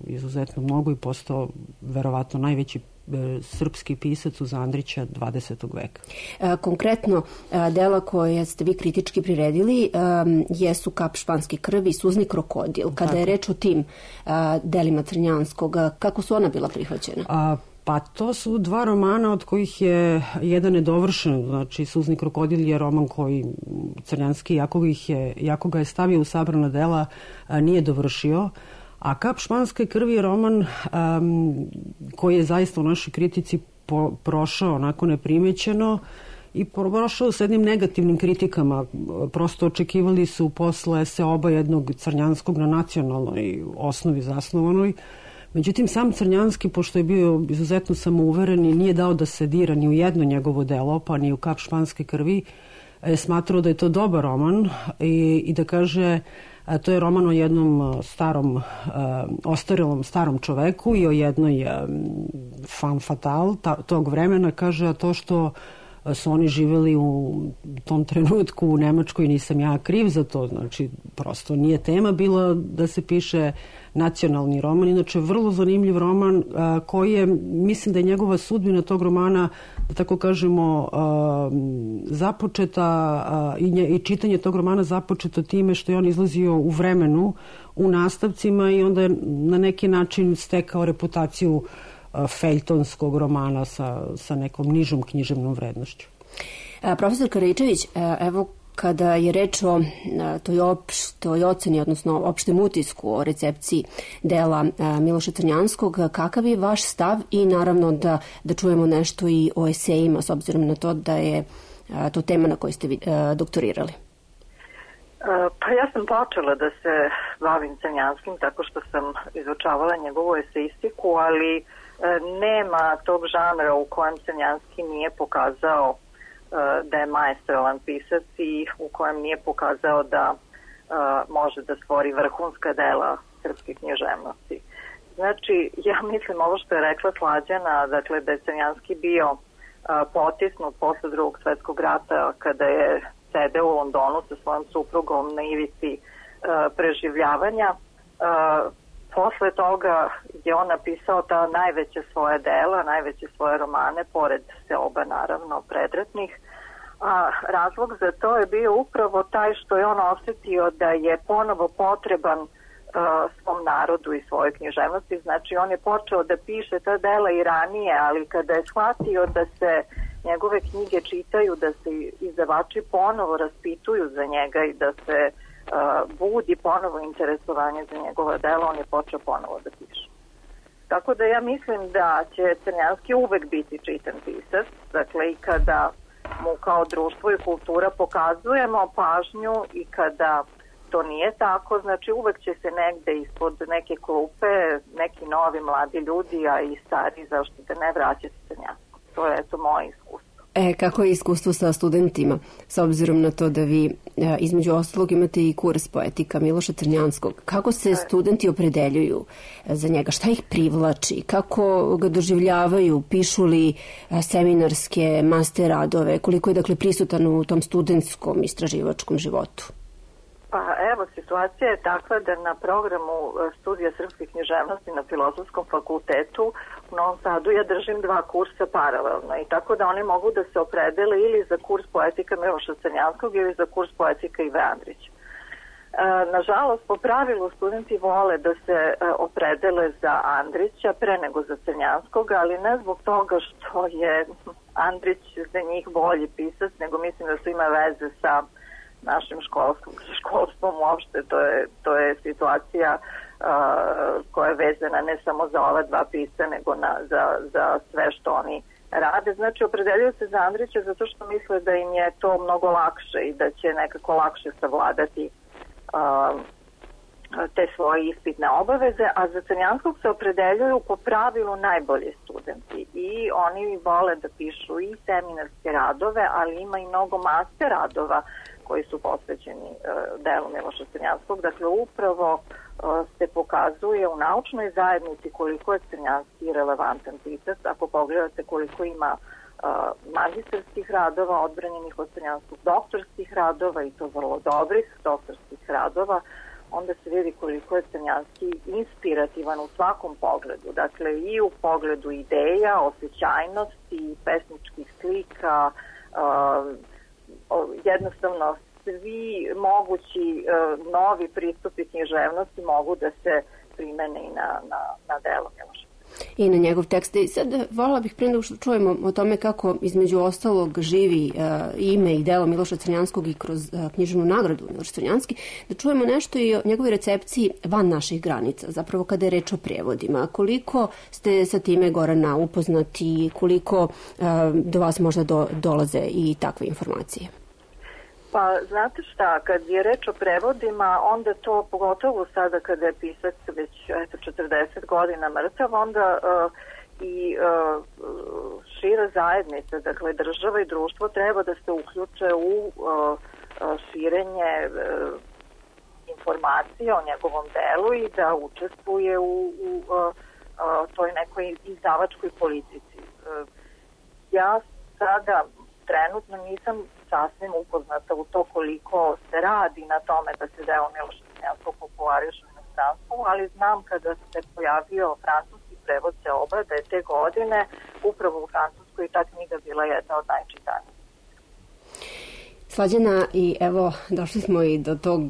izuzetno mnogo i postao verovatno najveći srpski pisac uz Andrića 20. veka. Konkretno, dela koje ste vi kritički priredili jesu Kap španske krvi i Suzni krokodil. Kada je reč o tim delima Crnjanskog, kako su ona bila prihvaćena? Pa to su 2 romana od kojih je jedan nedovršen. Suzni krokodil je roman koji Crnjanski, jako ga je stavio u sabrana dela, nije dovršio. A Kap španske krvi je roman koji je zaista u našoj kritici prošao onako neprimećeno i prošao s jednim negativnim kritikama. Prosto očekivali su posle Seoba jednog Crnjanskog na nacionalnoj osnovi zasnovanoj. Međutim, sam Crnjanski, pošto je bio izuzetno samouveren i nije dao da se dira ni u jedno njegovo delo, pa ni u Kap španske krvi, je smatrao da je to dobar roman i da kaže, to je roman o jednom ostarelom starom čoveku i o jednoj femme fatale tog vremena. Kaže, a to što su oni živjeli u tom trenutku u Nemačkoj, nisam ja kriv za to. Prosto nije tema bila da se piše nacionalni roman. Inače, vrlo zanimljiv roman koji je, mislim da je njegova sudbina tog romana, da tako kažemo, započeta i čitanje tog romana započeto time što je on izlazio u vremenu u nastavcima i onda je na neki način stekao reputaciju feljtonskog romana sa nekom nižom književnom vrednošću. Profesor Karajičević, evo kada je reč o toj opštoj oceni, odnosno opštem utisku o recepciji dela Miloša Crnjanskog, kakav je vaš stav i naravno da čujemo nešto i o esejima, s obzirom na to da je to tema na kojoj ste vi doktorirali? Pa ja sam počela da se bavim Crnjanskim tako što sam izučavala njegovu eseistiku, ali nema tog žanra u kojem Crnjanski nije pokazao da je maestralan pisac i u kojem nije pokazao da može da stvori vrhunska dela srpske književnosti. Znači, ja mislim ovo što je rekla Slađana, dakle da je Crnjanski bio potisnut posle Drugog svjetskog rata kada je sedeo u Londonu sa svojom suprugom na ivici preživljavanja. Posle toga je on napisao ta najveće svoje dela, najveće svoje romane, pored Seoba naravno predratnih. A razlog za to je bio upravo taj što je on osjetio da je ponovo potreban svom narodu i svojoj književnosti. Znači on je počeo da piše ta dela i ranije, ali kada je shvatio da se njegove knjige čitaju, da se izdavači ponovo raspituju za njega i da se budi ponovo interesovanje za njegova dela, on je počeo ponovo da piše. Tako da ja mislim da će Crnjanski uvek biti čitan pisac, dakle i kada mu kao društvo i kultura pokazujemo pažnju i kada to nije tako, znači uvek će se negde ispod neke klupe neki novi mladi ljudi, a i stari, zašto da ne, vraćati Crnjanski. To je eto moje iskustvo. Kako je iskustvo sa studentima, s obzirom na to da vi između ostalog imate i kurs poetika Miloša Crnjanskog? Kako se studenti opredeljuju za njega? Šta ih privlači? Kako ga doživljavaju? Pišu li seminarske master radove? Koliko je dakle prisutan u tom studentskom istraživačkom životu? Pa evo, situacija je takva da na programu studija srpske književnosti na Filozofskom fakultetu u Novom Sadu ja držim 2 kursa paralelno i tako da oni mogu da se opredele ili za kurs poetika Miloša Crnjanskog ili za kurs poetika Ive Andrića. Nažalost, po pravilu studenti vole da se opredele za Andrića pre nego za Crnjanskog, ali ne zbog toga što je Andrić za njih bolji pisac, nego mislim da to ima veze sa našim školstvom uopšte. To je situacija koja je vezana ne samo za ova 2 pisca, nego za sve što oni rade. Znači, opredeljuju se za Andrića zato što misle da im je to mnogo lakše i da će nekako lakše savladati te svoje ispitne obaveze, a za Crnjanskog se opredeljuju po pravilu najbolji studenti i oni vole da pišu i seminarske radove, ali ima i mnogo master radova koji su posvećeni delu Miloša Crnjanskog. Dakle, upravo se pokazuje u naučnoj zajednici koliko je Crnjanski relevantan pisac. Ako pogledate koliko ima magistarskih radova odbranjenih od Crnjanskog, doktorskih radova i to vrlo dobrih doktorskih radova, onda se vidi koliko je Crnjanski inspirativan u svakom pogledu. Dakle, i u pogledu ideja, osjećajnosti, pesničkih slika, jednostavno svi mogući novi pristupi književnosti mogu da se primene i na delo Miloša. I na njegov tekst. I sad voljela bih prije nego što čujemo o tome kako između ostalog živi ime i delo Miloša Crnjanskog i kroz književnu nagradu Miloš Crnjanski, da čujemo nešto i o njegovoj recepciji van naših granica, zapravo kada je reč o prijevodima. Koliko ste sa time, Gorana, upoznati, koliko do vas možda dolaze i takve informacije? Pa, znate šta, kad je reč o prevodima, onda to, pogotovo sada kada je pisac već 40 godina mrtav, onda i šira zajednica, dakle država i društvo treba da se uključe u širenje informacije o njegovom delu i da učestvuje u toj nekoj izdavačkoj politici. Ja sada trenutno nisam sasvim upoznata u to koliko se radi na tome da se deo Miloša Crnjanskog populariše u inostranstvu, ali znam kada se pojavio francuski prevod Seoba da je te godine upravo u Francuskoj ta knjiga bila jedna od najčitanijih. Slađana, i evo došli smo i do tog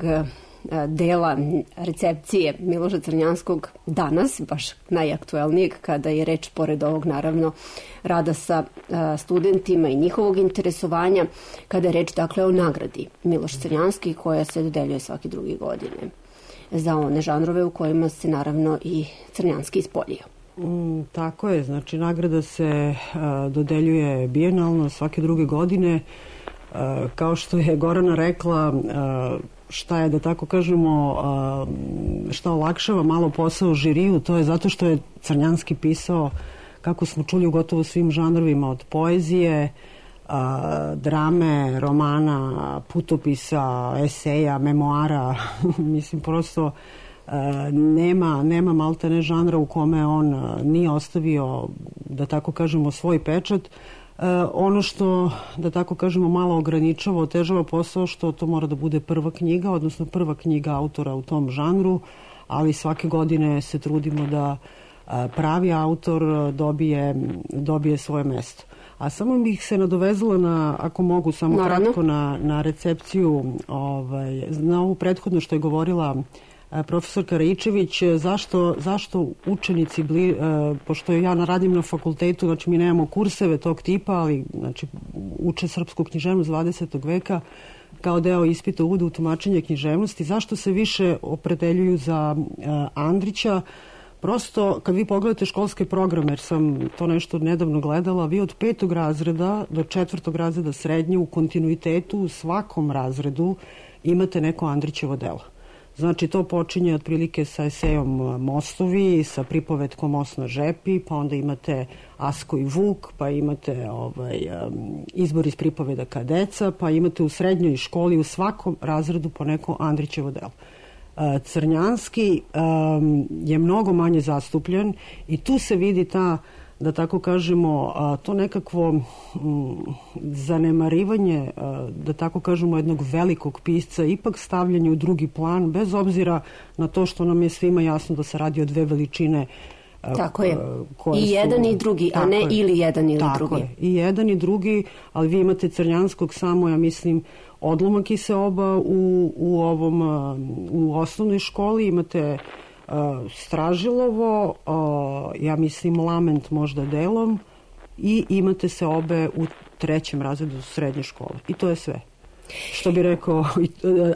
dela recepcije Miloša Crnjanskog danas, baš najaktuelnijeg, kada je reč, pored ovog naravno rada sa studentima i njihovog interesovanja, kada je reč dakle o nagradi Miloš Crnjanski koja se dodeljuje svake 2 godine za one žanrove u kojima se naravno i Crnjanski ispoljio. Tako je, znači nagrada se dodeljuje bijenalno svake 2 godine. Kao što je Gorana rekla, šta je, da tako kažemo, šta olakšava malo posao žiriju, to je zato što je Crnjanski pisao, kako smo čuli, u gotovo svim žanrovima, od poezije, drame, romana, putopisa, eseja, memoara. Mislim, prosto nema maltene žanra u kome on nije ostavio, da tako kažemo, svoj pečat. Ono što, da tako kažemo, malo ograničava, otežava posao, što to mora da bude prva knjiga, odnosno prva knjiga autora u tom žanru, ali svake godine se trudimo da pravi autor dobije svoje mesto. A samo bih se nadovezala na, ako mogu, samo kratko na recepciju, na ovu prethodno što je govorila profesorka Raičević, zašto učenici, pošto ja radim na fakultetu, znači mi nemamo kurseve tog tipa, ali znači, uče srpsku književnost 20. veka kao deo ispita uvode u tumačenje književnosti, zašto se više opredeljuju za Andrića? Prosto, kad vi pogledate školske programe, jer sam to nešto nedavno gledala, vi od 5. razreda do 4. razreda srednje u kontinuitetu u svakom razredu imate neko Andrićevo delo. Znači, to počinje otprilike sa esejom Mostovi, sa pripovetkom Most na žepi, pa onda imate Asko i Vuk, pa imate izbor iz pripoveda Kadeca, pa imate u srednjoj školi u svakom razredu po neko Andrićevo delo. Crnjanski je mnogo manje zastupljen i tu se vidi ta, da tako kažemo, to nekakvo zanemarivanje, da tako kažemo, jednog velikog pisca, ipak stavljanje u drugi plan, bez obzira na to što nam je svima jasno da se radi o dve veličine. Tako je. I jedan i drugi, a ne ili jedan ili drugi. Tako je. I jedan i drugi, ali vi imate Crnjanskog samo, ja mislim, odlomak i se oba u osnovnoj školi, imate Stražilovo, ja mislim Lament možda delom, i imate se obe u 3. razredu srednje škole. I to je sve. Što bi rekao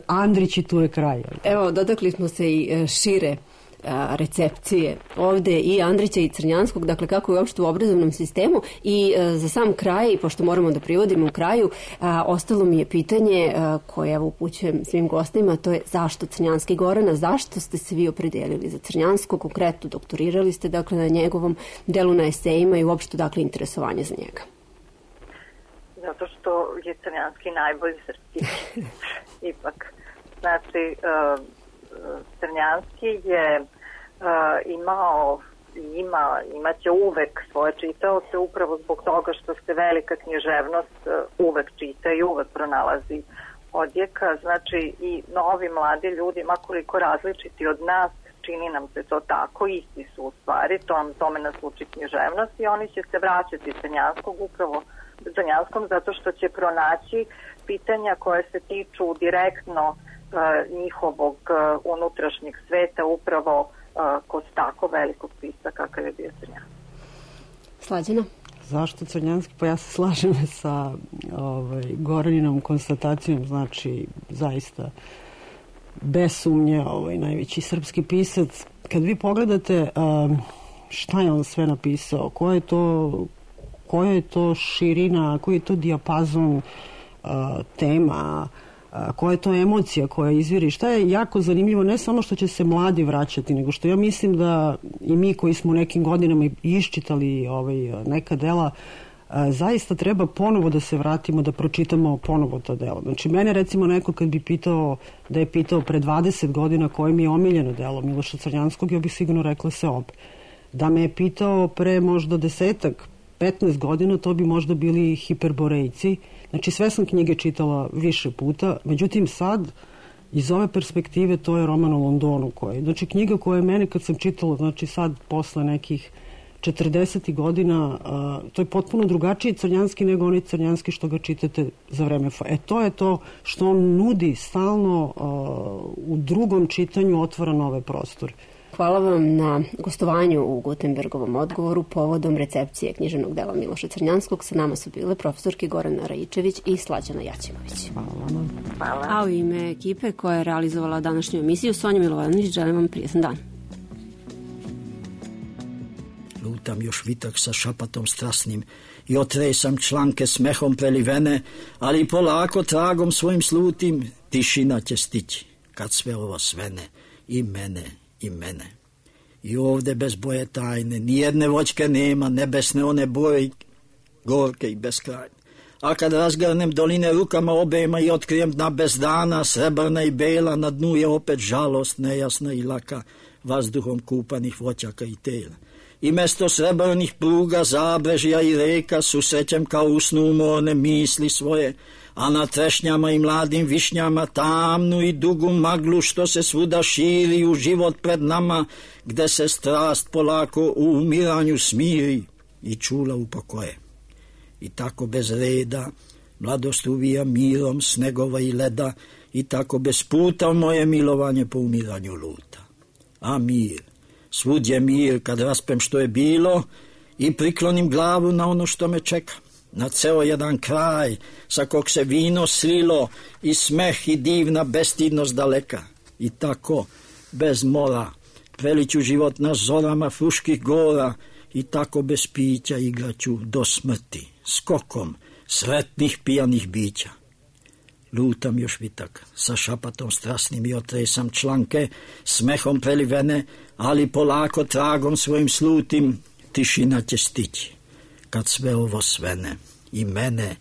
Andrić, i tu je kraj. Evo, dotakli smo se i šire recepcije ovde i Andrića i Crnjanskog, dakle kako je uopšte u obrazovnom sistemu. I za sam kraj, pošto moramo da privodimo u kraju, ostalo mi je pitanje koje evo upućujem svim gostima, to je zašto Crnjanski? Gorana, zašto ste se vi opredelili za Crnjanskog? Konkretno doktorirali ste dakle na njegovom delu na esejima i uopšte dakle interesovanje za njega. Zato što je Crnjanski najbolji srpski. Ipak. Znači, Crnjanski je imaće uvek svoje čitaoce upravo zbog toga što se velika književnost uvek čita i uvek pronalazi odjeka. Znači i novi mladi ljudi, makoliko različiti od nas, čini nam se to tako, isti su u stvari, tome nas uči književnost i oni će se vraćati Crnjanskom zato što će pronaći pitanja koje se tiču direktno njihovog unutrašnjeg sveta upravo kod tako velikog pisca kakav je bio Crnjanski. Slađana? Zašto Crnjanski? Pa ja se slažem sa Goraninom konstatacijom, znači zaista bez sumnje najveći srpski pisac. Kad vi pogledate šta je on sve napisao, koja je to širina, koji je to dijapazon tema, koja je to emocija koja izviri, šta je jako zanimljivo, ne samo što će se mladi vraćati, nego što ja mislim da i mi koji smo u nekim godinama iščitali neka dela, zaista treba ponovo da se vratimo, da pročitamo ponovo to delo. Znači, mene recimo neko kad bi pitao, da je pitao pre 20 godina koje mi je omiljeno delo Miloša Crnjanskog, ja bih sigurno rekla Seobe. Da me je pitao pre možda 10-15 godina, to bi možda bili Hiperborejci. Znači, sve sam knjige čitala više puta, međutim sad, iz ove perspektive, to je roman o Londonu, znači knjiga koja je mene kad sam čitala, znači sad posle nekih 40 godina, to je potpuno drugačiji Crnjanski nego onaj Crnjanski što ga čitate za vreme. To je to što on nudi stalno u drugom čitanju, otvara nove prostore. Hvala vam na gostovanju u Gutenbergovom odgovoru povodom recepcije književnog dela Miloša Crnjanskog. Sa nama su bile profesorki Gorana Raičević i Slađana Jaćimović. Hvala. A u ime ekipe koja je realizovala današnju emisiju, Sonja Milovanović, želim vam prijetan dan. Lutam još vitak sa šapatom strasnim i otresam članke smehom prelivene, ali polako tragom svojim slutim tišina će stići kad sve ovo svene i mene. I ovde bez boje tajne, nijedne voćke nema, nebesne one boje gorke i beskrajne. A kad razgrnem doline rukama obema i otkrijem dna bez dana, srebrna i bela, na dnu je opet žalost nejasna i laka, vazduhom kupanih voćaka i tela. I mesto srebrnih pruga, zabrežja i reka susrećem kao u snu umorne misli svoje, a na trešnjama i mladim višnjama tamnu i dugu maglu što se svuda širi u život pred nama, gde se strast polako u umiranju smiri i čula upokoje. I tako bez reda mladost uvija mirom snegova i leda, i tako bez puta moje milovanje po umiranju luta. A mir, svud je mir kad raspem što je bilo i priklonim glavu na ono što me čeka, na ceo jedan kraj sa kog se vino slilo i smeh i divna bestidnost daleka. I tako bez mora preliću život na zorama fruških gora, i tako bez pića igraću do smrti skokom sretnih pijanih bića. lutam još vitak, sa šapatom strasnim i otresam članke, smehom prelivene, ali polako tragom svojim slutim, tišina će stići, kad sve ovo svene, i mene,